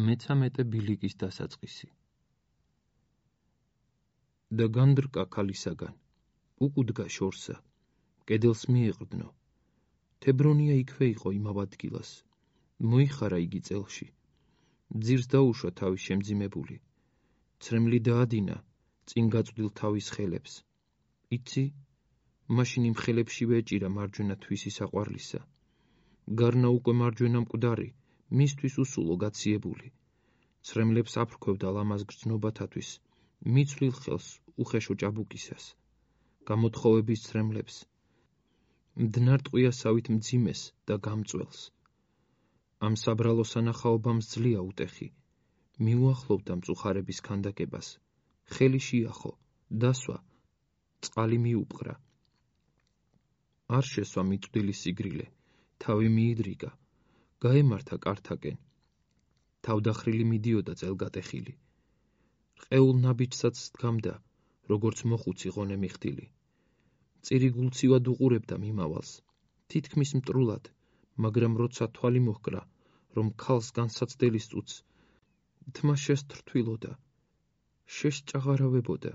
მე-13 ბილიკის დასაწყისი და განდრკა ქალისაგან, უკუდგა შორსა, კედელს მიეყრდნო. თებრონია იქვე იყო იმავ ადგილას, მოიხარა იგი წელში. ძირს დაუშვა თავის შემძიმებული, ცრემლი დაადინა წინ გაწვდილ თავის ხელებს. იცი, მაშინ იმ ხელებშივე ეჭირა მარჯვენა თვისი საყვარლისა. გარნა უკვე მარჯვენა მკვდარი, მისთვის უსულო გაციებული. ცრემლებს აფრქვევდა ლამაზ გრძნობათათვის, მიცვლილ ხელს უხეშო ჭაბუკისას. გამოთხოვების ცრემლებს, მდნარ ტყვიასავით მძიმეს და გამწველს. ამ საბრალო სანახაობამ ძლია უტეხი, მიუახლოვდა მწუხარების ქანდაკებას, ხელი შეახო, დასვა, წყალი მიუპყრა. არ შესვა მიწვდილი სიგრილე, თავი მიიდრიგა, გაემართა კართაკენ. თავდახრილი მიდიოდა წელგატეხილი. რყეულ ნაბიჯსაც დგამდა, როგორც მოხუცი ღონე მიხდილი. წირი გულცივად უყურებდა მიმავალს, თითქმის მტრულად, მაგრამ როცა თვალი მოჰკრა, რომ ქალს განსაცდელის წუთს, თმა შესთრთვილოდა, შესჭაღარავებოდა,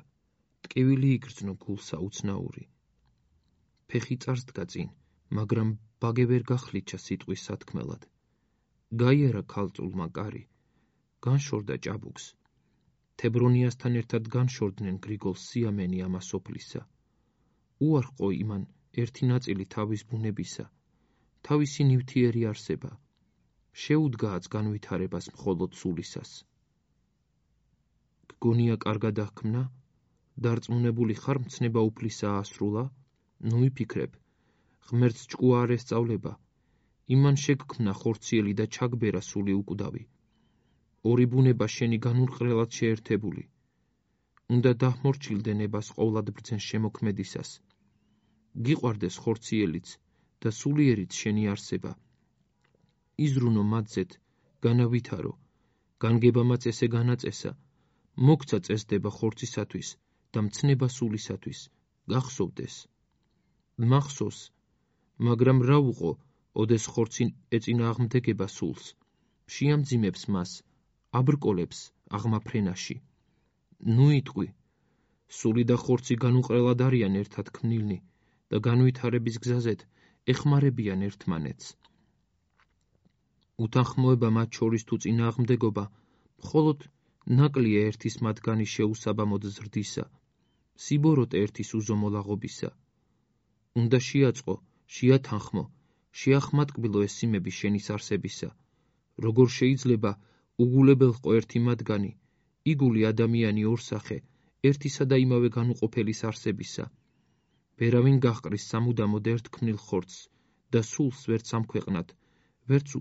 ტკივილი იგრძნო გულსა უცნაური. ფეხი წარსდგა წინ, მაგრამ ბაგე ვერ გახლიჩა სიტყვის სათქმელად. გაიარა ქალწულმა კარი, განშორდა ჭაბუკს. თებრონიასთან ერთად განშორდნენ გრიგოლს სიამენი ამასოფლისა. უარყო იმან ერთი ნაწილი თავის ბუნებისა, თავისი ნივთიერი არსება. შეუდგააც განვითარებას მხოლოდ სულისას. გგონია კარგად აღქმნა, დარწმუნებული ხარ მცნება უფლისაა ასრულა, ნუ იფიქრებ, ღმერთს ჭკუა არ ესწავლება, იმან შეგქმნა ხორციელი და ჩაგბერა სული უკვდავი. ორი ბუნება შენი განურყრელად შეერთებული. უნდა დაჰმორჩილდე ნებას ყოვლად ბრძენ შემოქმედისას. გიყვარდეს ხორციელიც და სულიერიც შენი არსება. იზრუნო მათზეთ, განავითარო, განგებამაც ესე განაწესა, მოგცა წესდება ხორცისათვის და მცნება სულისათვის, გახსოვდეს. მახსოვს, მაგრამ რა უყო, ოდეს ხორცი ეწინააღმდეგება სულს, შეამძიმებს მას, აბრკოლებს აღმაფრენაში. ნუ იტყვი, სული და ხორცი განუყრელად არიან ერთად ქმნილნი და განვითარების გზაზეთ ეხმარებიან ერთმანეთს. უთანხმოება მათ შორის თუ წინააღმდეგობა, მხოლოდ ნაკლია ერთის მათგანი შეუსაბამოდ ზრდისა, სიბოროტე ერთის უზომოლაღობისა. უნდა შეაწყო, შეათანხმო, შეახმატკბილო ეს სიმები შენის არსებისა. როგორ შეიძლება უგულებელყო ერთი მათგანი, იგული ადამიანი ორსახე, ერთისა და იმავე განუყოფელის არსებისა. ვერავინ გაჰყრის სამუდამოდ ერთ ქმნილ ხორცს და სულს ვერც ამქვეყნად, ვერც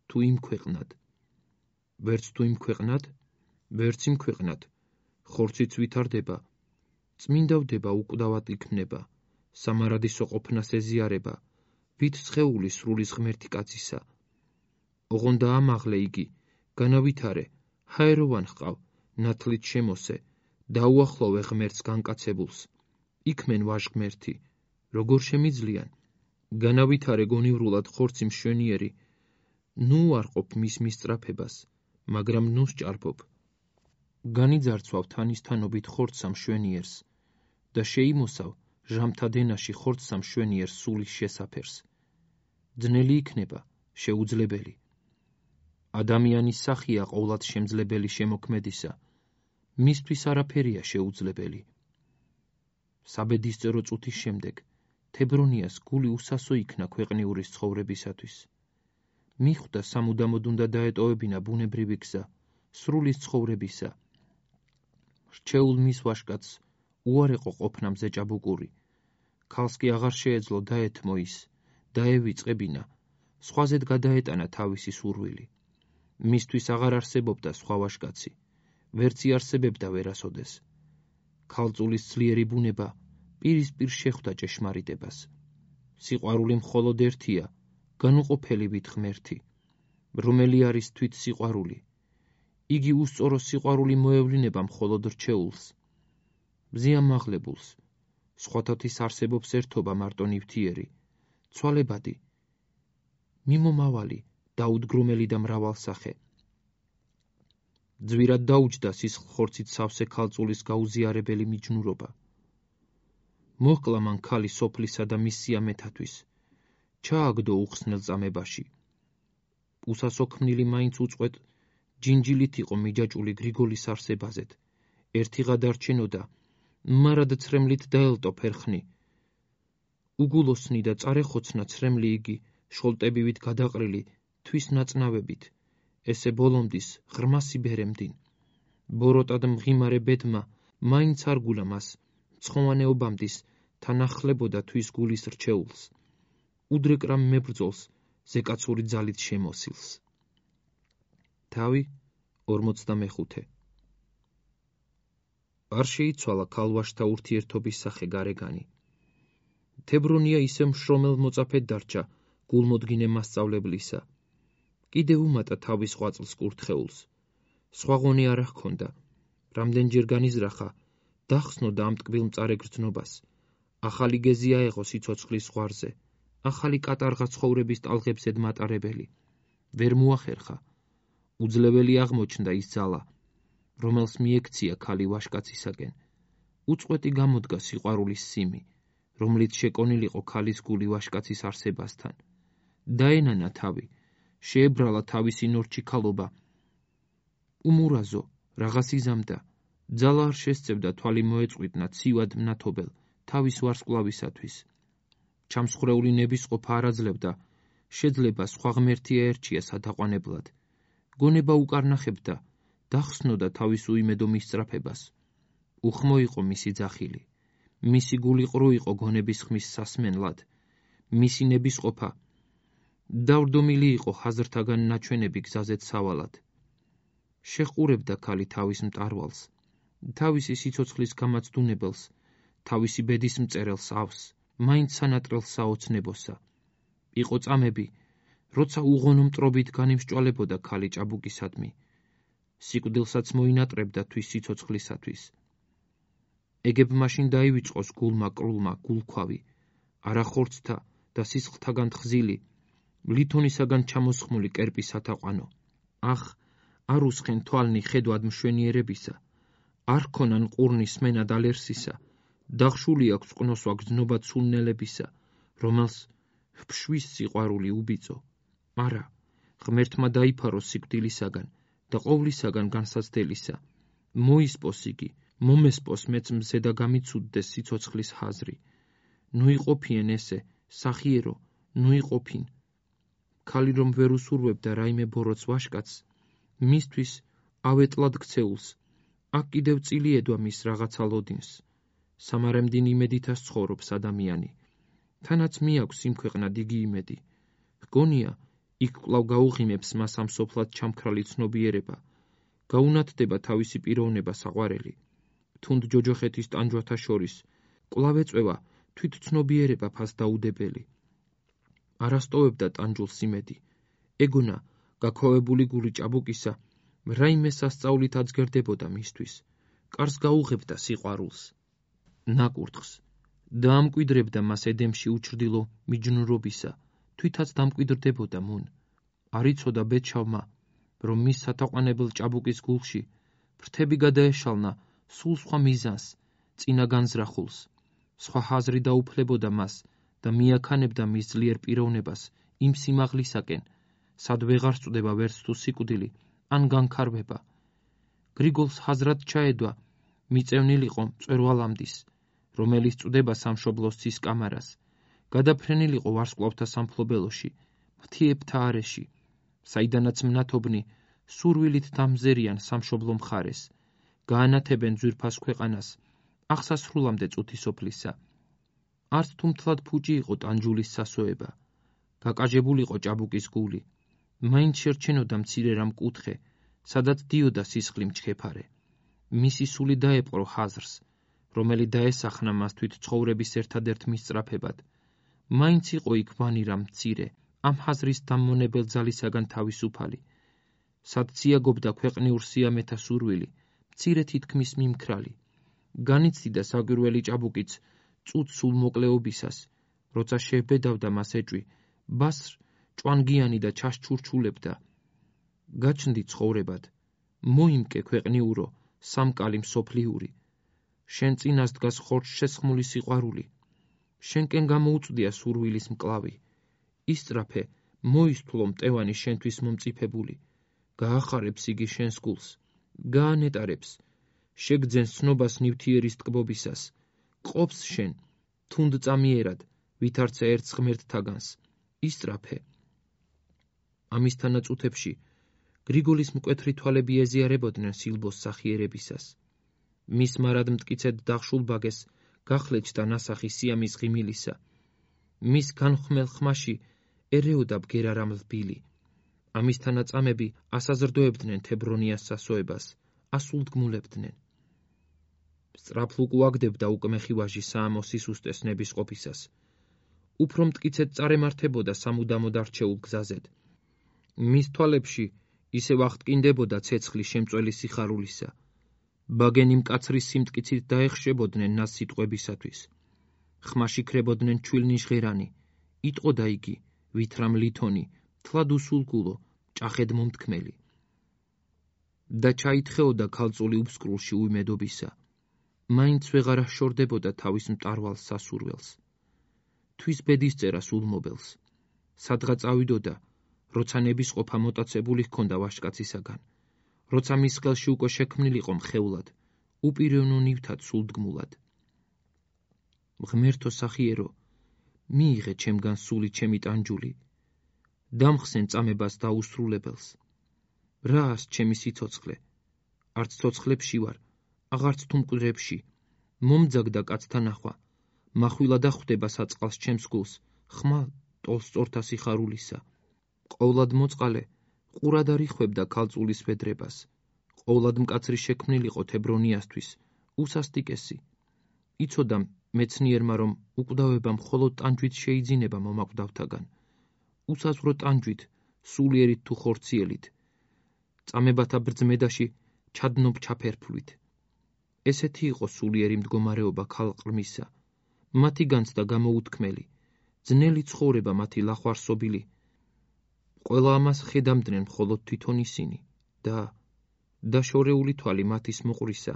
თუ იმქვეყნად. ვერც თუ იმქვეყნად, ვერც იმქვეყნად, ხორციც ვითარდება, წმინდავდება უკვდავად იქმნება, სამარადისო ყოფნას ეზიარება, ვით სხეული სრულის ღმერთი კაცისა. ოღონდა ამაღლე იგი, განავითარე, ჰაეროვან ჰყავ, ნათლით შემოსე, დაუახლოვე ღმერთს განკაცებულს. იქმენ ვაჟღმერთი, როგორ შემიძლიან, განავითარე გონივრულად ხორცი მშვენიერი, ნუ უარყოფ მის მისწრაფებას, მაგრამ ნუ სჭარბობ. განიძარცვავ თანისთანობით ხორცსა მშვენიერს და შეიმოსავ ჟამთა დენაში ხორცსა მშვენიერს სულის შესაფერს. ძნელი იქნება, შეუძლებელი. ადამიანის სახია ყოვლად შემძლებელი შემოქმედისა, მისთვის არაფერია შეუძლებელი. საბედისწერო წუთის შემდეგ თებრონიას გული უსასო იქნა ქვეყნიურის ცხოვრებისათვის. მიხვდა სამუდამოდ უნდა დაეტოვებინა ბუნებრივი გზა, სრულის ცხოვრებისა. რჩეულ მის ვაჟკაცს უარეყო ყოფნა მზე ჭაბუკური. ქალს კი აღარ შეეძლო დაეთმო ის, დაევიწყებინა, სხვაზედ გადაეტანა თავისი სურვილი. მისთვის აღარ არსებობდა სხვა ვაჟკაცი, ვერც იარსებებდა ვერასოდეს. ქალწულის ძლიერი ბუნება პირისპირ შეხვდა ჭეშმარიტებას. სიყვარული მხოლოდ ერთია, განუყოფელი ვით ღმერთი, რომელი არის თვით სიყვარული. იგი უსწორო სიყვარული მოევლინება მხოლოდ რჩეულს. მზიამაღლებულს, სხვათათის არსებობს ერთობა მარტო ნივთიერი, ცვალებადი, მიმომავალი, დაუდგრომელი და მრავალსახე. ძვირად დაუჯდა სისხლხორცით სავსე ქალწულის გაუზიარებელი მიჯნურობა. მოჰკლა მან ქალი სოფლისა და მის სიამეთათვის, ჩააგდო უხსნელ წამებაში. უსასოქმნილი მაინც უწყვეტ ჯინჯილით იყო მიჯაჭული გრიგოლის არსებაზეთ, ერთი გადარჩენოდა, მარად ცრემლით დაელტო ფერხნი. უგულოსნი და წარეხოცნა ცრემლი იგი, შოლტებივით გადაყრილი, თვის ნაწნავებით, ესე ბოლომდის ღრმა სიბერემდინ. ბოროტად მღიმარე ბედმა მაინც არ გულა მას, მცხოვანეობამდის თანახლებოდა თვის გულის რჩეულს, უდრეკრამ მებრძოლს ზეკაცური ძალით შემოსილს. თავი 45. არ შეიცვალა ქალვაშთა ურთიერთობის სახე გარეგანი. თებრონია ისე მშრომელ მოწაფედ დარჩა გულმოდგინე მასწავლებლისა. კიდევ უმატა თავის ღვაწლს კურთხეულს. სხვა ღონე არ ჰქონდა. რამდენჯერ განიზრახა, დახსნოდა ამ ტკბილ მწარე გრძნობას. ახალი გეზი აეღო სიცოცხლის ზღვარზე, ახალი კატარღა ცხოვრების ტალღებზედ მატარებელი. ვერ მოახერხა. უძლეველი აღმოჩნდა ის ძალა, რომელს მიექცია ქალი ვაშკაცისაკენ. უწყვეტი გამოდგა სიყვარულის სიმი, რომლით შეკონილიყო ქალის გული ვაშკაცის არსებასთან. დაენანა თავი, შეებრალა თავისი ნორჩიქალობა. უმურაზო, რაღაც იზამდა, ძალა არ შესწევდა თვალი მოეწყვიტნა ცივად მნათობელ თავის ვარსკვლავისათვის. ჩამსხრეული ნებისყოფა არ აძლევდა, შეძლება სხვა ღმერთი აერჩია სადაყვანებლად. გონება უკარნახებდა, დახსნოდა თავის უიმედო მისწრაფებას. უხმო იყო მისი ძახილი, მისი გული ყრუ იყო გონების ხმის სასმენლად, მისი ნებისყოფა დავრდომილი იყო ხაზრთაგან ნაჩვენები გზაზეც სავალად. შეჰყურებდა ქალი თავის მტარვალს, თავისი სიცოცხლის გამაცდუნებელს, თავისი ბედის მწერელს ავს, მაინც სანატრელს საოცნებოსა. იყო წამები, როცა უღონო მტრობით განიმსჭვალებოდა ქალი ჭაბუკისადმი, სიკვდილსაც მოინატრებდა თვის სიცოცხლისათვის. ეგებ მაშინ დაივიწყოს გულმა კრულმა გულქვავი, არახორცთა და სისხლთაგან თხზილი, ლითონისაგან ჩამოსხმული კერპის ათაყვანო. ახ, არ უსხენ თვალნი ხედვად მშვენიერებისა, არ ქონან ყურნი სმენად ალერსისა, დახშული აქვს ყნოსვა გრძნობად სულნელებისა, რომელს ფშვის სიყვარული უბიწო. არა, ღმერთმა დაიფარო სიკვდილისაგან და ყოვლისაგან განსაცდელისა. მოისპოს იგი, მომესპოს მეც მზე და გამიცუდდეს სიცოცხლის ხაზრი. ნუ იყოფიენ ესე, სახიერო, ნუ იყოფინ. ქალი რომ ვერ უსურვებდა რაიმე ბოროტს ვაშკაცს, მისთვის ავეტლად ქცეულს, აქ კიდევ წილი ედვა მის რაღაცა ლოდინს. სამარემდინ იმედითას ცხოვრობს ადამიანი. თანაც მიაქვს სიმქვეყნად იგი იმედი. ჰგონია, იქ კვლავ გაუღიმებს მას ამ სოფლად ჩამქრალი ცნობიერება, გაუნათდება თავისი პიროვნება საყვარელი. თუნდ ჯოჯოხეთის ტანჯვათა შორის, კვლავ ეწვევა თვით ცნობიერება ფასდაუდებელი. არასტოვებდა ტანჯულს იმედი. ეგონა, გაქვავებული გული ჭაბუკისა, რაიმე სასწაულით აძგერდებოდა მისთვის. კარს გაუღებდა სიყვარულს, ნაკურთხს, დაამკვიდრებდა მას ედემში უჩრდილო მიჯნურობისა, თვითაც დამკვიდრდებოდა მუნ. არ იცოდა ბედშავმა, რომ მის სათაყვანებელ ჭაბუკის გულში ფრთები გადაეშალნა სულ სხვა მიზანს, წინა განზრახულს. სხვა ხაზრი დაუფლებოდა მას და მიაქანებდა მის ძლიერ პიროვნებას იმ სიმაღლისაკენ, სად ვეღარ სწვდება ვერც თუ სიკვდილი ან განქარვება. გრიგოლს ხაზრად ჩაედვა მიწევნილიყო მწვერვალამდის, რომელიც წვდება სამშობლოს ცის კამარას, გადაფრენილიყო ვარსკვლავთა სამფლობელოში, მთიებთა არეში, საიდანაც მნათობნი სურვილით დამზერიან სამშობლო მხარეს, გაანათებენ ძვირფას ქვეყანას, აღსასრულამდე წუთი სოფლისა. არც თუ მთლად ფუჭი იყო ტანჯულის სასოება, გაკაჟებულიყო ჭაბუკის გული, მაინც შერჩენოდა მცირე რამ კუთხე, სადაც დიოდა სისხლი მჩქეფარე. მისი სული დაეპყრო ხაზრს, რომელიც დაესახნა მას თვით ცხოვრების ერთადერთ მისწრაფებად. მაინც იყო იქ ვანი რამ მცირე, ამ ხაზრის დამმონებელ ძალისაგან თავისუფალი. სად ციაგობდა ქვეყნიურ სიამეთა სურვილი, მცირე თითქმის მიმქრალი. განიცდიდა საგვირველი ჭაბუკიც წუთ სულ მოკლეობისას, როცა შეებედავდა მას ეჭვი, ბასრ ჭვანგიანი და ჩაშჩურჩულებდა. გაჩნდი ცხოვრებად, მოიმკე ქვეყნიურო, სამკალი მსოფლიური, შენ წინას დგას ხორცშესხმული სიყვარული, შენკენ გამოუწვდია სურვილის მკლავი, ისწრაფე, მოისთვლო მტევანი შენთვის მომწიფებული, გაახარებს იგი შენს გულს, გაანეტარებს, შეგძენს ცნობას ნივთიერის ტკბობისას, ყოფს შენ, თუნდწამიერად, ვითარცა ერთს ღმერთთაგანს, ისწრაფე. ამისთანა წუთებში გრიგოლის მკვეთრი თვალები ეზიარებოდნენ სილბოს სახიერებისას. მის მარად მტკიცედ დახშულ ბაგეს გახლეჩდა ნასახი სიამის ღიმილისა. მის განხმელ ხმაში ერეოდა ბგერა რამლბილი. ამისთანა წამები ასაზრდოებდნენ თებრონიას სასოებას, ასულდგმულებდნენ. სწრაფლუკ უაგდებდა უკმეხი ვაჟი საამო სისუსტეს ნებისყოფისას. უფრო მტკიცედ წარემართებოდა სამუდამოდ არჩეულ გზაზედ. მის თვალებში ისევ აღტკინდებოდა ცეცხლი შემწველი სიხარულისა. ბაგენი მკაცრის სიმტკიცით დაეხშებოდნენ ნას სიტყვებისათვის. ხმაში ქრებოდნენ ჩვილნიშღერანი, იტყოდა იგი, ვითრამ ლითონი, თლად უსულგულო, ჭახედ მომთქმელი. და ჩაითხეოდა ქალწული უბსკრულში უიმედობისა. მაინც ვეღარ აშორდებოდა თავის მტარვალ სასურველს. თვის ბედისწერას ულმობელს. სადღა წავიდოდა, როცა ნებისყოფა მოტაცებული ჰქონდა ვაჟკაცისაგან, როცა მის ხელში უკვე შექმნილიყო მხეულად, უპიროვნო ნივთად სულდგმულად. ღმერთო სახიერო, მიიღე ჩემგან სული ჩემი ტანჯული, დამხსენ წამებას დაუსრულებელს. რას ჩემი სიცოცხლე, არც ცოცხლებში ვარ, აღარც თუ მკვდრებში, მომძაგდა კაცთა ნახვა, מחვილად ახვდება საწყალს ჩემს გულს, ხმა ტოლს სწორთა სიხარულისა. ყოვლად მოწყალე, ყურად არ იხვებდა ქალწულის ვედრებას, ყოვლად მკაცრი შექმნილიყო თებრონიასთვის, უსასტიკესი. იცოდა მეცნიერმა, რომ უკვდავება მხოლოდ ტანჯვით შეიძინება მომაკვდავთაგან, უსაზღვრო ტანჯვით, სულიერით თუ ხორციელით, წამებათა ბრძმედაში ჩადნობ ჩაფერფლვით. ესეთი იყო სულიერი მდგომარეობა ქალყრმისა, მათი განცდა გამოუთქმელი, ძნელი ცხოვრება მათი ლახვარსობილი. ყველა ამას ხედამდნენ მხოლოდ თვითონ ისინი და შორეული თვალი მათის მოყვრისა,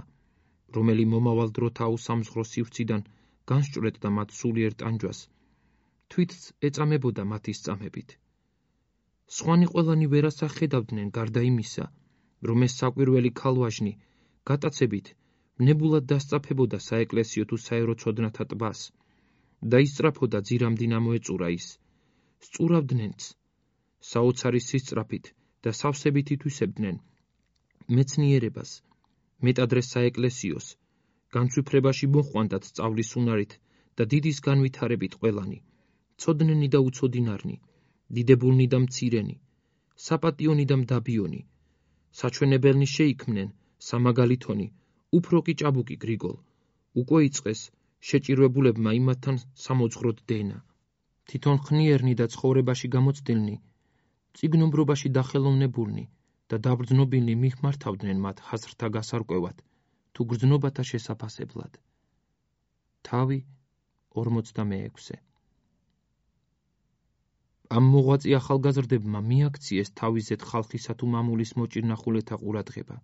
რომელი მომავალ დროთა უსამზღვრო სივრციდან განსჭვრეტდა მათ სულიერ ტანჯვას, თვითს ეწამებოდა მათის წამებით. სხვანი ყველანი ვერას ახედავდნენ გარდა იმისა, რომ ეს საკვირველი ქალვაჟნი გატაცებით ნებულად დასწაფებოდა საეკლესიო თუ საერო ცოდნათა ტბას და ისწრაფოდა ძირამდინ მოეწურა ის. სწურავდნენც, საოცარი სისწრაფით და სავსებით ითვისებდნენ მეცნიერებას, მეტადრე საეკლესიოს, განცვიფრებაში მოხვანდათ სწავლის უნარით და დიდის განვითარებით ყველანი, ცოდნენი და უცოდინარნი, დიდებულნი და მცირენი, საპატიონი და მდაბიონი, საჩვენებელნი შეიქმნენ, სამაგალითონი, უფრო კი ჭაბუკი გრიგოლ, უკვე იწყეს შეჭირვებულებმა იმათთან სამოძღვროდ დენა. თვითონ ხნიერნი და ცხოვრებაში გამოცდილნი, წიგნობრობაში დახელოვნებულნი და დაბრძნობილნი მიხმართავდნენ მათ ხაზრთა გასარკვევად თუ გრძნობათა შესაფასებლად. თავი 46. ამ მოღვაწე ახალგაზრდებმა მიაქციეს თავისზეთ ხალხისა თუ მამულის მოჭირნახულეთა ყურადღება.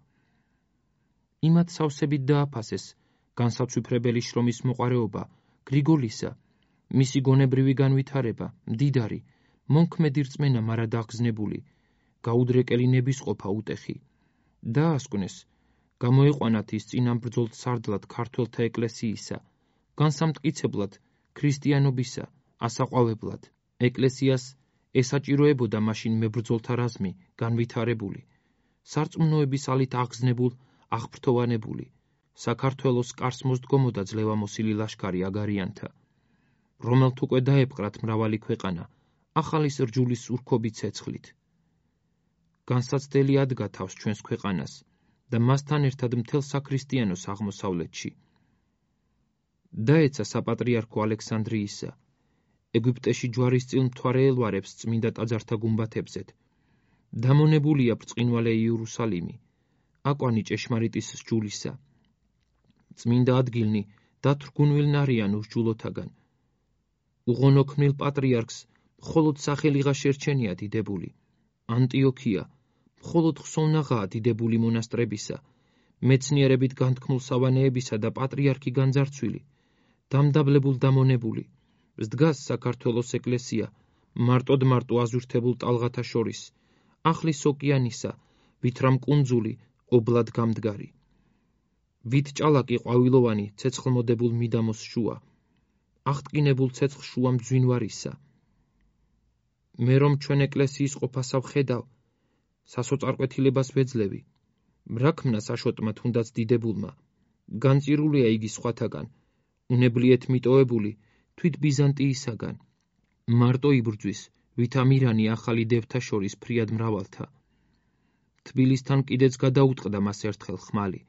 იმათ სავსებით დააფასეს განსაცვიფრებელი შრომის მოყარეობა გრიგოლისა, მისი გონებრივი განვითარება, მდიდარი, მონქმედი რწმენა მარად აღგზნებული, გაუდრეკელი ნებისყოფა უტეხი. დაასკვნეს, გამოეყვანათ ის წინამბრძოლ სარდლად ქართველთა ეკლესიისა, განსამტკიცებლად ქრისტიანობისა, ასაყვავებლად. ეკლესიას ესაჭიროებოდა მაშინ მებრძოლთა რაზმი, განვითარებული, სარწმუნოების ალით აღგზნებულ, აღფრთოვანებული, საქართველოს კარს მოსდგომოდა ძლევამოსილი ლაშქარი აგარიანთა, რომელთ უკვე დაეპყრათ მრავალი ქვეყანა, ახალის რჯულის ურქობი ცეცხლით. განსაცდელი ადგა თავს ჩვენს ქვეყანას და მასთან ერთად მთელ საქრისტიანოს აღმოსავლეთში. დაეცა საპატრიარქო ალექსანდრიისა, ეგვიპტეში ჯვარისწილ მთვარე ელვარებს წმინდა ტაძართა გუმბათებზეთ. დამონებულია ბრწყინვალე იერუსალიმი, აკვანი ჭეშმარიტის სჯულისა. წმინდა ადგილნი დათრგუნვილნარიან უსჯულოთაგან. უღონოქმნილ პატრიარქს მხოლოდ სახელიღა შერჩენია დიდებული. ანტიოქია, მხოლოდ ხსოვნაღაა დიდებული მონასტრებისა, მეცნიერებით განთქმულ სავანეებისა და პატრიარქი განძარცვილი, დამდაბლებულ დამონებული, დგას საქართველოს ეკლესია, მარტოდ აზურთებულ ტალღათა შორის, ახლის ოკეანისა, ვითრამ კუნძული, ობლად გამდგარი. ვით ჭალაკი ყვავილოვანი, ცეცხლმოდებულ მიდამოს შუა, აღტკინებულ ცეცხლ შუა მძვინვარისა. მე რომ ჩვენ ეკლესიის ყოფასა ვხედავ, სასოწარკვეთილებას ვეძლევი, რა ქმნა საშოტმა თუნდაც დიდებულმა, განწირულია იგი სხვათაგან, უნებლიეთ მიტოვებული, თვით ბიზანტიისაგან. მარტო იბრძვის, ვით ამირანი ახალი დევთა შორის ფრიად მრავალთა. თბილისთან კიდეც გადაუტყდა მას ერთხელ ხმალი.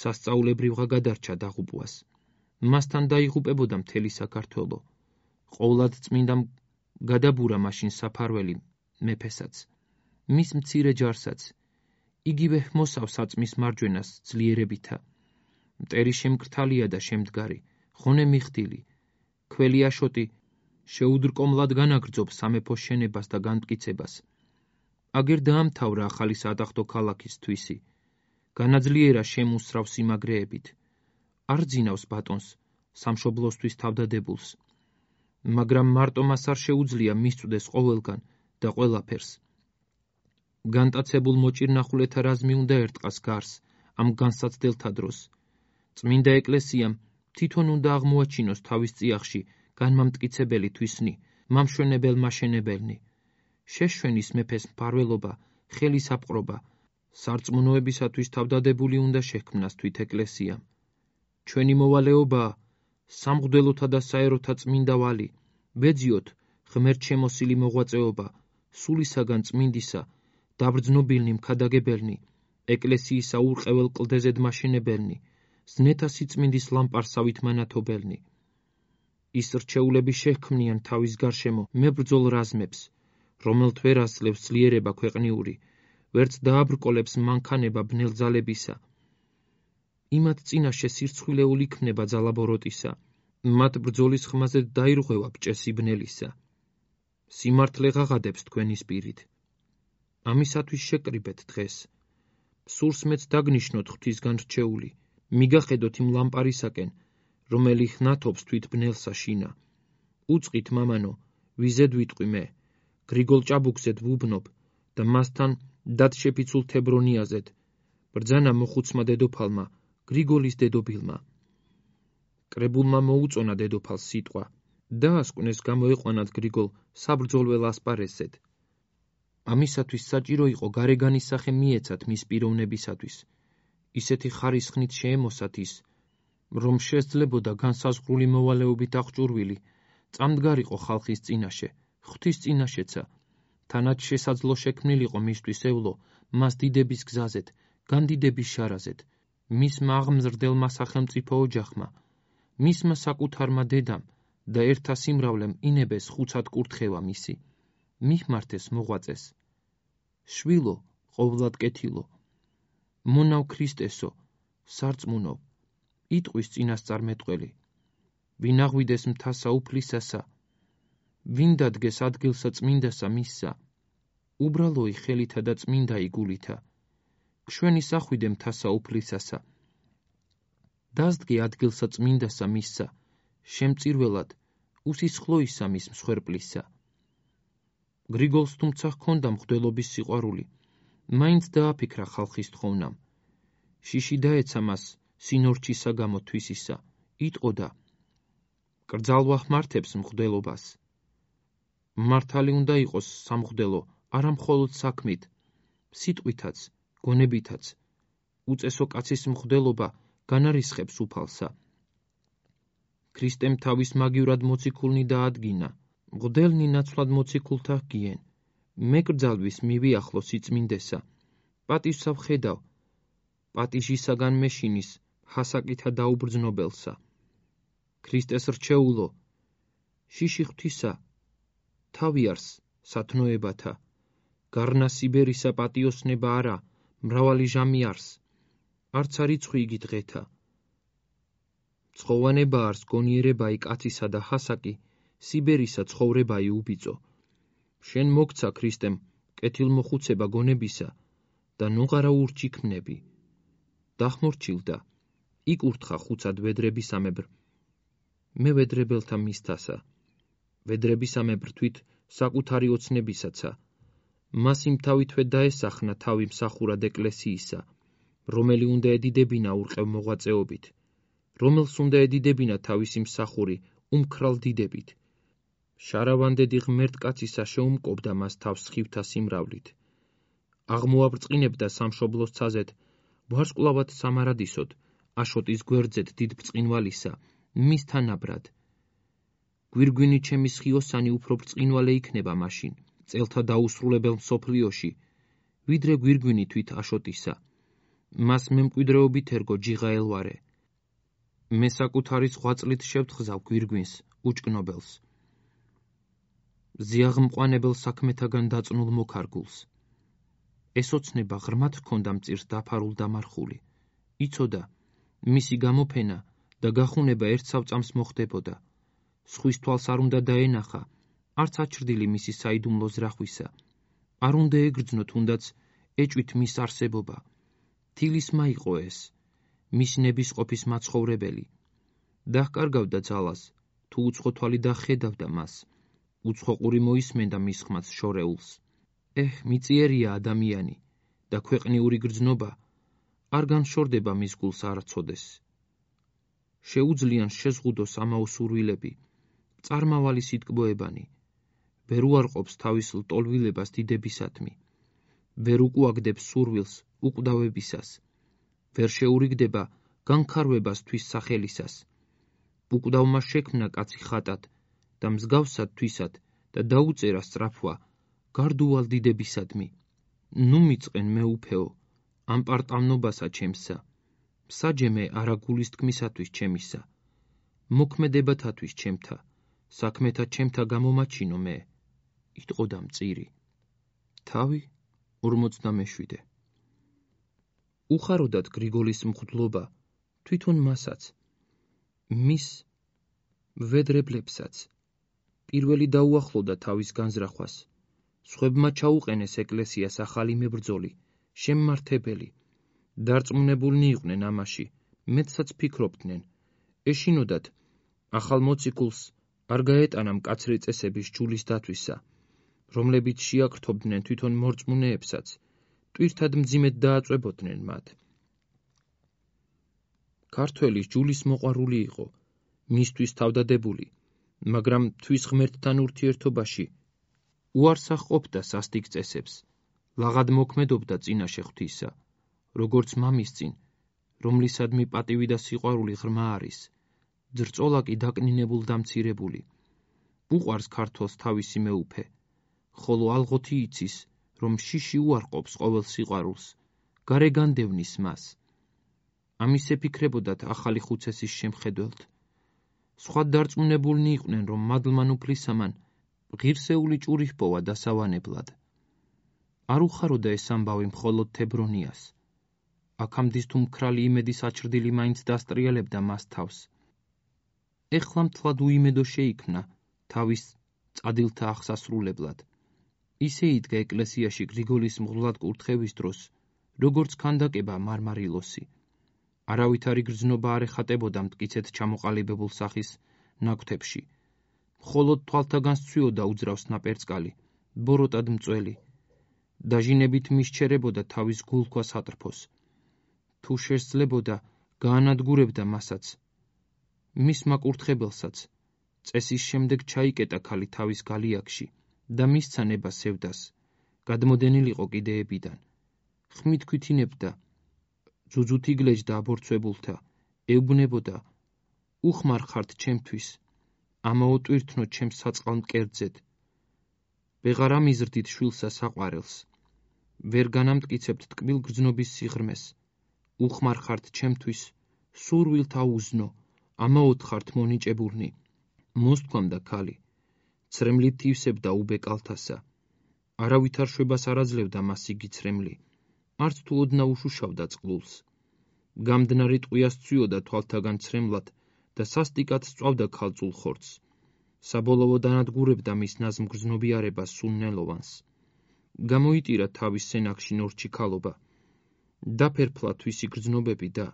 სასწაულებრივღა გადარჩა დაღუპვას. მასთან დაიღუპებოდა მთელი საქართველო. ყოვლად წმინდამ გადაბურა მაშინ საფარველი მეფესაც, მის მცირე ჯარსაც. იგივე ჰმოსავს საწმის მარჯვენას ძლიერებითა. მტერი შემკრთალია და შემდგარი, ხონე მიხდილი. ქველი აშოტი შეუდრკომლად განაგრძობს სამეფოს შენებას და განმტკიცებას. აგერ დაამთავრა ახალი საადახტო ქალაქის თვისი. განაძლიერა შემუსრავ სიმაგრეებით. არ ძინავს ბატონს, სამშობლოსთვის თავდადებულს. მაგრამ მარტო მას არ შეუძლია მისწვდეს ყოველგან და ყველაფერს. განტაცებულ მოჭირნახულეთა რაზმი უნდა ერტყას გარს ამ განსაცდელთა დროს. წმინდა ეკლესიამ თვითონ უნდა აღმოაჩინოს თავის წიაღში განმამტკიცებელი თვისნი, მამშვენებელ მაშენებელნი. შეშვენის მეფეს მფარველობა, ხელის აპყრობა, სარწმუნოებისათვის თავდადებული უნდა შექმნას თვით ეკლესიამ. ჩვენი მოვალეობაა სამღვდელოთა და საეროთა წმინდა ვალი, ვეძიოთ ღმერთ შემოსილი მოღვაწეობა, სულისაგან წმინდისა, დაბრძნობილნი მქადაგებელნი, ეკლესიისა ურყეველ კლდეზედ მაშენებელნი, ზნეთა სიწმინდის ლამპარსავით მანათობელნი. ის რჩეულები შეჰქმნიან თავის გარშემო მებრძოლ რაზმებს, რომელთ ვერ ასლევს ძლიერება ქვეყნიური, ვერც დააბრკოლებს მანქანება ბნელძალებისა. იმათ წინაშე სირცხვილეულ იქნება ძალაბოროტისა, მათ ბრძოლის ხმაზე დაირღვევა ბჭესი ბნელისა. სიმართლე ღაღადებს თქვენი სპირით. ამისათვის შეკრიბეთ დღეს. სურს მეც დაგნიშნოთ ღვთისგან რჩეული, მიგახედოთ იმ ლამპარისაკენ, რომელი ხნათობს თვით ბნელსა შინა. უწყით მამანო, ვიზედ ვიტყვი მე, გრიგოლ ჭაბუკზედ ვუბნობ და მასთან დადშეფიცულ თებრონიაზედ, ბრძანა მოხუცმა დედოფალმა, გრიგოლის დედობილმა. კრებულმა მოუწონა დედოფალს სიტყვა, დაასკვნეს გამოეყვანათ გრიგოლ საბრძოლველ ასპარეზზედ. ამისათვის საჭირო იყო გარეგანის სახე მიეცათ მის პიროვნებისათვის, ისეთი ხარისხნით შეემოსათ ის, რომ შესძლებოდა განსაზღვრული მოვალეობით აღჭურვილი, წამდგარიყო ხალხის წინაშე, ღვთის წინაშეცა, თანაც შესაძლო შექმნილიყო მისთვის ევლო, მას დიდების გზაზეთ, განდიდების შარაზეთ, მისმა აღმზრდელმა სახელმწიფო ოჯახმა, მისმა საკუთარმა დედამ და ერთა სიმრავლემ ინებეს ხუცად კურთხევა მისი, მიხმართეს მოღვაწეს. შვილო, ყოვლად კეთილო, მონავ ქრისტესო, სარწმუნო, იტყვის წინასწარმეტყველი, ვინ აღვიდეს მთასა უფლისასა, ვინ დადგეს ადგილსა წმინდასა მისსა, უბრალოი ხელითა და წმინდა იგულითა, გშვენის ახვიდე მთასა უფლისასა, დაზდგე ადგილსა წმინდასა მისსა, შემწირველად, უსისხლოისა მის მსხვერპლისა. გრიგოლს თუმცა ჰქონდა მღვდელობის სიყვარული, მაინც დააფიქრა ხალხის თხოვნამ. შიში დაეცა მას სინორჩისა გამო თვისისა, იტყოდა, კრძალვა ხმართებს მღვდელობას. მართალი უნდა იყოს სამღვდელო, არა მხოლოდ საქმით, სიტყვითაც, გონებითაც. უწესო კაცის მღვდელობა განარისხებს უფალსა. ქრისტემ თავის მაგივრად მოციქულნი დაადგინა, მღვდელნი ნაცვლად მოციქულთა ჰგიენ, მეკრძალვის მივიახლო სიწმინდესა, პატივსა ვხედავ, პატიჟისაგან მეშინის, ჰასაკითა დაუბრძნობელსა. ქრისტეს რჩეულო, შიში ღვთისა, თავი არს სათნოებათა, გარნა სიბერისა პატიოსნება არა, მრავალი ჟამი არს, არც არიცხვი იგი დღეთა. ცხოვანება არს გონიერებაი კაცისა და ჰასაკი, სიბერისა ცხოვრებაი უბიწო. შენ მოგცა ქრისტემ კეთილმოხუცება გონებისა, და ნუღარა ურჩი ქმნები. დახმორჩილდა, იკურთხა ხუცად ვედრებისამებრ. მე ვედრებელთა მისთასა, ვედრებისამებრ თვით საკუთარი ოცნებისაცა. მას იმ თავითვე დაესახნა თავი მსახურად ეკლესიისა, რომელი უნდა ედიდებინა ურყევ მოღვაწეობით, რომელს უნდა ედიდებინა თავისი მსახური უმქრალ დიდებით. შარავანდედი ღმერთკაცისა შეუმკობდა მას თავს სხივთა სიმრავლით. აღმოაბრწყინებდა სამშობლოს ცაზეთ, ვარსკვლავად სამარადისოდ, აშოტის გვერდზეთ დიდ ბრწყინვალისა, მის თანაბრად. გვირგვინი ჩემი სხიოსანი უფრო ბრწყინვალე იქნება მაშინ, წელთა დაუსრულებელ მსოფლიოში, ვიდრე გვირგვინი თვით აშოტისა. მას მემკვიდრეობით ერგო ჯიღა ელვარე. მე საკუთარი ზღვაწლით შევთხზავ გვირგვინს, უჭკნობელს. ზიაღმყვანებელ საქმეთაგან დაწნულ მოქარგულს. ეს ოცნება ღრმად ჰქონდა მწირს დაფარულ დამარხული. იცოდა, მისი გამოფენა და გახუნება ერთ სავწამს მოხდებოდა. სხვის თვალს არ უნდა დაენახა, არც აჩრდილი მისი საიდუმლო ზრახვისა. არ უნდა ეგრძნო თუნდაც ეჭვით მის არსებობა. თილისმა იყო ეს, მის ნებისყოფის მაცხოვრებელი. დაჰკარგავდა ძალას, თუ უცხო თვალი დახედავდა მას. უცხო ყური მოისმენდა მის ხმას შორეულს. მიწიერია ადამიანი და ქვეყნიური გრძნობა არ განშორდება მის გულს არცოდეს. შეუძლიან შეზღუდოს ამაო სურვილები, წარმავალი სიტკბოებანი. ვერ უარყოფს თავის ლტოლვილებას დიდებისათმი. ვერ უკუაგდებს სურვილს უკვდავებისას. ვერ შეურიგდება განხარვებას თვის სახელისას. უკვდავმა შექმნა კაცი ხატად და მსგავსად თვისად და დაუწერა სწრაფვა გარდუვალ დიდებისადმი. ნუ მიწყენ მეუფეო, ამ პარტავნობასა ჩემსა, მსაჯემე არა გულის თქმისათვის ჩემისა. მოქმედებათათვის ჩემთა, საქმეთა ჩემთა გამომაჩინო მე. იტყოდა მწირი. თავი 47. უხაროდათ გრიგოლის მღვდლობა თვითონ მასაც, მის ვედრებლებსაც. პირველი დაუახლოვდა თავის განზრახვას. სხვებმა ჩაუყენეს ეკლესიას ახალი მებრძოლი, შემმართებელი. დარწმუნებულნი იყვნენ ამაში, მეტსაც ფიქრობდნენ. ეშინოდათ, ახალ მოციქულს არ გაეტანა მკაცრი წესების ჯულის დათვისა, რომლებიც შეაკრთობდნენ თვითონ მორწმუნეებსაც, ტვირთად მძიმედ დააწვებოდნენ მათ. ქართველი ჯულის მოყვარული იყო, მისთვის თავდადებული, მაგრამ თვის ღმერთთან ურთიერთობაში უარსახ ყოფდა სასტიკ წესებს, ლაღად მოქმედობდა წინაშე ღვთისა, როგორც მამის წინ, რომლისადმი პატივი და სიყვარული ღრმა არის, ძრწოლა კი დაკნინებულ დამცირებული. უყვარს ქართველს თავისი მეუფე, ხოლო ალღოთი იცის, რომ შიში უარყოფს ყოველ სიყვარულს, გარე განდევნის მას. ამის ეფიქრებოდათ ახალი ხუცესის შემხედველთ. სხვა დარწმუნებულნი იყვნენ, რომ მადლმან უფლისამან ღირსეული ჭური ჰპოვა დასავანებლად. არ უხაროდა ეს ამბავი მხოლოდ თებრონიას. აქამდის თუ მქრალი იმედის აჩრდილი მაინც დასტრიალებდა მას თავს. ეხლა მთლად უიმედო შეიქმნა თავის წადილთა აღსასრულებლად. ისე იდგა ეკლესიაში გრიგოლის მღვდლად კურთხევის დროს, როგორც ქანდაკება მარმარილოსი. არავითარი გრძნობა არ ეხატებოდა მტკიცედ ჩამოყალიბებულ სახის ნაკვთებში. მხოლოდ თვალთაგან სცვიოდა უძრავს ნაპერწკალი, ბოროტად მწველი. დაჟინებით მისჩერებოდა თავის გულქვას ატრფოს. თუ შესძლებოდა, გაანადგურებდა მასაც. მისმა კურთხებელსაც წესის შემდეგ ჩაიკეტა ქალი თავის გალიაკში და მისცა ნება სევდას, გადმოდენილიყო კიდეებიდან. ხმით ქვითინებდა, ძუძუთ იგლეჯდა აბორცვებულთა, ეუბნებოდა, უხმარ ხართ ჩემთვის, ამაო ტვირთნო ჩემს საწყალ მკერდზედ. ვეღარ ამიზრდით შვილსა საყვარელს, ვერ განამტკიცებთ ტკბილ გრძნობის სიღრმეს, უხმარ ხართ ჩემთვის, სურვილთ აუზნო, ამაოდ ხართ მონიჭებულნი. მოსთქვამდა ქალი, ცრემლით თივსებდა უბე კალთასა. არავითარ შვებას არ აძლევდა მას იგი ცრემლი, არც თუ ოდნა უშუშავდა წყლულს. გამდნარი ტყვია სცვიოდა თვალთაგან ცრემლად და სასტიკად სწვავდა ქალწულ ხორცს. საბოლოო დანადგურებდა მის ნაზმ გრძნობიარებას სულნელოვანს. გამოიტირა თავის სენაკში ნორჩი ქალობა, დაფერფლა თვისი გრძნობები და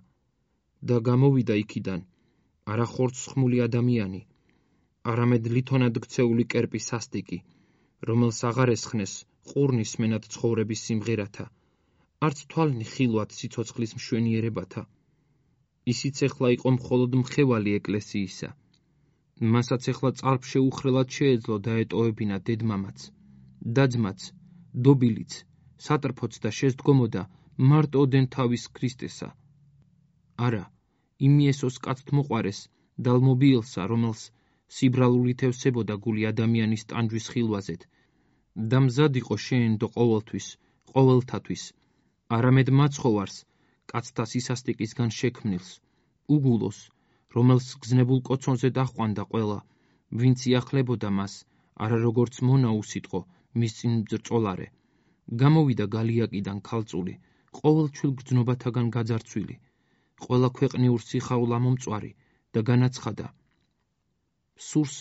გამოვიდა იქიდან არა ხორცსხმული ადამიანი, არამედ ლითონად ქცეული კერპი სასტიკი, რომელს აღარ ესხნეს ყურნის სმენად ცხოვრების სიმღერათა, არც თვალნი ხილვად სიცოცხლის მშვენიერებათა. ისიც ეხლა იყო მხოლოდ მხევალი ეკლესიისა. მასაც ეხლა წყალშეუხრელად შეეძლო დაეტოვებინა დედმამაც, და-ძმაც, დობილიც, სატრფოც და შესდგომოდა მარტო ოდენ თავის ქრისტესა. არა, იმ იესოს კაცთმოყვარეს დალმობიელსა, რომელს სიბრალულით ევსებოდა გული ადამიანის ტანჯვის ხილვაზეთ და მზად იყო შეენდო ყოველთვის, ყოველთათვის, არამედ მაცხოვარს, კაცთა სისასტიკისგან შექმნილს, უგულოს, რომელს გზნებულ კოცონზე დაჰყვანდა ყველა, ვინც იახლებოდა მას, არა როგორც მონა უსიტყო, მის წინ მძრწოლარე. გამოვიდა გალიაკიდან ქალწული, ყოველჩვილ გრძნობათაგან გაძარცვილი, ყველა ქვეყნიურ სიხაულ ამომწვარი და განაცხადა: სურს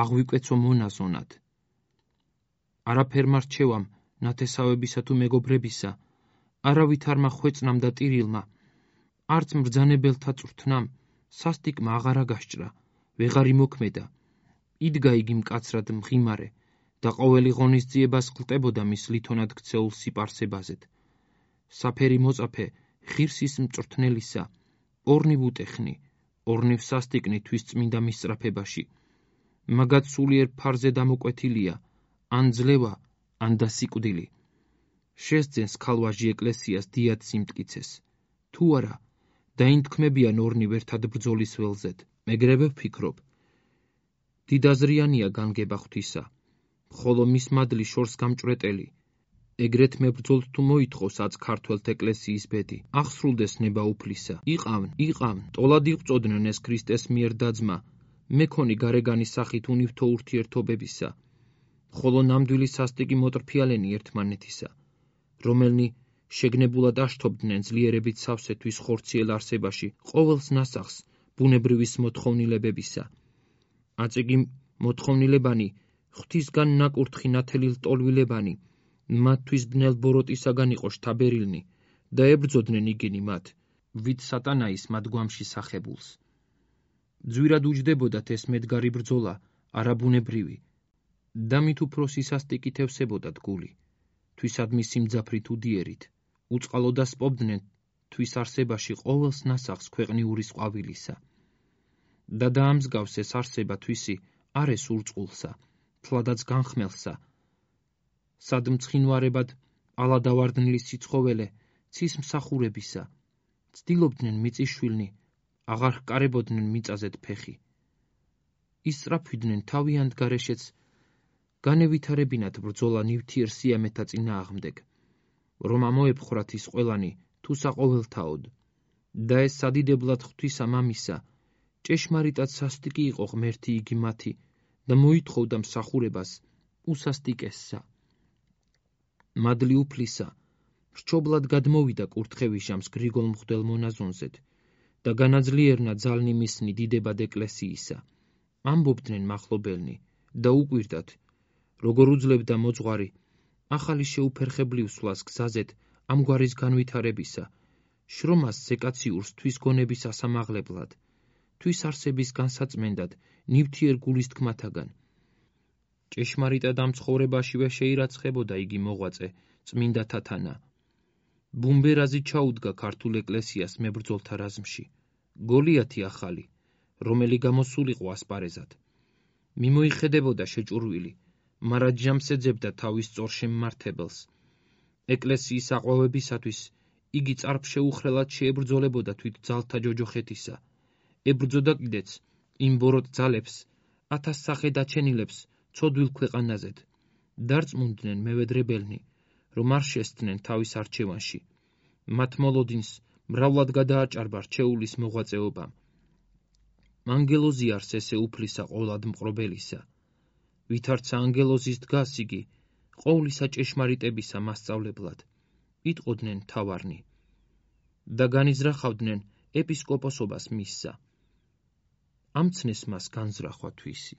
აღვიკვეცო მონაზონად. არაფერ მარჩევამ ნათესავებისა თუ მეგობრებისა, არავით არ მახვეწნამ და ტირილმა, არც მბრძანებელთა წვრთნამ, სასტიკმა აღარა გასჭრა, ვეღარ იმოქმედა. იდგა იგი მკაცრად მღიმარე და ყოველი ღონისძიებას ღლტებოდა მის ლითონად ქცეულ სიპარსებაზეთ. საფერი მოწაფე ღირსის მწვრთნელისა, ორნივ უტეხნი, ორნივ სასტიკნი თვის წმინდა მისწრაფებაში. მაგაც სულიერ ფარზე დამოკვეთილია, ან ძლევა, ან დასიკვდილი. შესძენს ქალვაჟი ეკლესიას დიად სიმტკიცეს. თუ არა, დაინთქმებიან ორნივ ერთად ბრძოლის ველზედ. მეგრევე ვფიქრობ. დიდაზრიანია განგება ღვთისა, ხოლო მის მადლი შორს გამჭვრეტელი. ეგრეთ მებრძოლთ თუ მოითხოვს აც ქართველთ ეკლესიის ბედი, აღსრულდეს ნება უფლისა. იყავენ, ტოლად იღვწოდნენ ეს ქრისტეს მიერ და-ძმა, მექონი გარეგანის სახით უნივთო ურთიერთობებისა, ხოლო ნამდვილი სასტიკი მოტრფიალენი ერთმანეთისა, რომელნი შეგნებულად აშთობდნენ ძლიერებით სავსეთვის ხორციელ არსებაში ყოველს ნასახს ბუნებრივის მოთხოვნილებებისა. აწიგი მოთხოვნილებანი, ღვთისგან ნაკურთხი ნათელი ლტოლვილებანი, მათთვის ბნელ ბოროტისაგან იყო შთაბერილნი და ებრძოდნენ იგინი მათ, ვით სატანაის მათ გვამში სახებულს. ძვირად უჯდებოდათ ეს მედგარი ბრძოლა, არაბუნებრივი, და მით უფრო სისასტიკით ევსებოდათ გული, თვისადმი სიმძაფრით უდიერით, უწყალოდა სპობდნენ თვის არსებაში ყოველს ნასახს ქვეყნიურის ყვავილისა. და დაამსგავს ეს არსება თვისი არეს ურწყულსა, თლადაც განხმელსა, სად მცხინვარებად ალადავარდნილი სიცხოველე ცის მსახურებისა, ცდილობდნენ მიწიშვილნი, აღარ ჰკარებოდნენ მიწაზეთ ფეხი. ისწრაფვიდნენ თავიანთ გარეშეც, განევითარებინათ ბრძოლა ნივთიერ სიამეთა წინააღმდეგ, რომ ამოეფხრათ ის ყველანი თუ საყოველთაოდ, და ეს სადიდებლად ღვთისა მამისა, ჭეშმარიტად სასტიკი იყო ღმერთი იგი მათი და მოითხოვდა მსახურებას უსასტიკესსა. მადლი უფლისა რჩობლად გადმოვიდა კურთხევიშამს გრიგოლ მღვდელ მონაზონზეთ და განაძლიერნა ძალნი მისნი დიდებად ეკლესიისა. ამბობდნენ მახლობელნი და უკვირდათ, როგორ უძლებდა მოძღვარი ახალი შეუფერხებლივსვლას გზაზეთ ამგვარის განვითარებისა, შრომას ზეკაციურს თვის გონების ასამაღლებლად, თვის არსების განსაწმენდად ნივთიერ გულის თქმათაგან. ჭეშმარიტად ამ ცხოვრებაშივე შეირაცხებოდა იგი მოღვაწე წმინდა თათანა. ბუმბერაზი ჩაუდგა ქართულ ეკლესიას მებრძოლთა რაზმში, გოლიათი ახალი, რომელი გამოსულიყო ასპარეზად. მიმოიხედებოდა შეჭურვილი, მარა ჯამს ეძებდა თავის სწორ შემმართებელს. ეკლესიის აყვავებისათვის იგი წარფშეუხრელად შეებრძოლებოდა თვით ძალთა ჯოჯოხეთისა, ებრძოდა კიდეც იმ ბოროტ ძალებს, 1000 სახე დაჩენილებს ცოდვილ ქვეყანაზეთ. დარწმუნდნენ მევედრებელნი, რომ არ შესთნენ თავის არჩევანში. მათ მოლოდინს მრავლად გადააჭარბა რჩეულის მოღვაწეობამ. ანგელოზი არს ესე უფლისა ყოლად მყრობელისა. ვითარცა ანგელოზის დგას იგი, ყოვლისა ჭეშმარიტებისა მასწავლებლად, იტყოდნენ თავარნი და განიზრახავდნენ ეპისკოპოსობას მისსა. ამცნეს მას განზრახვა თვისი.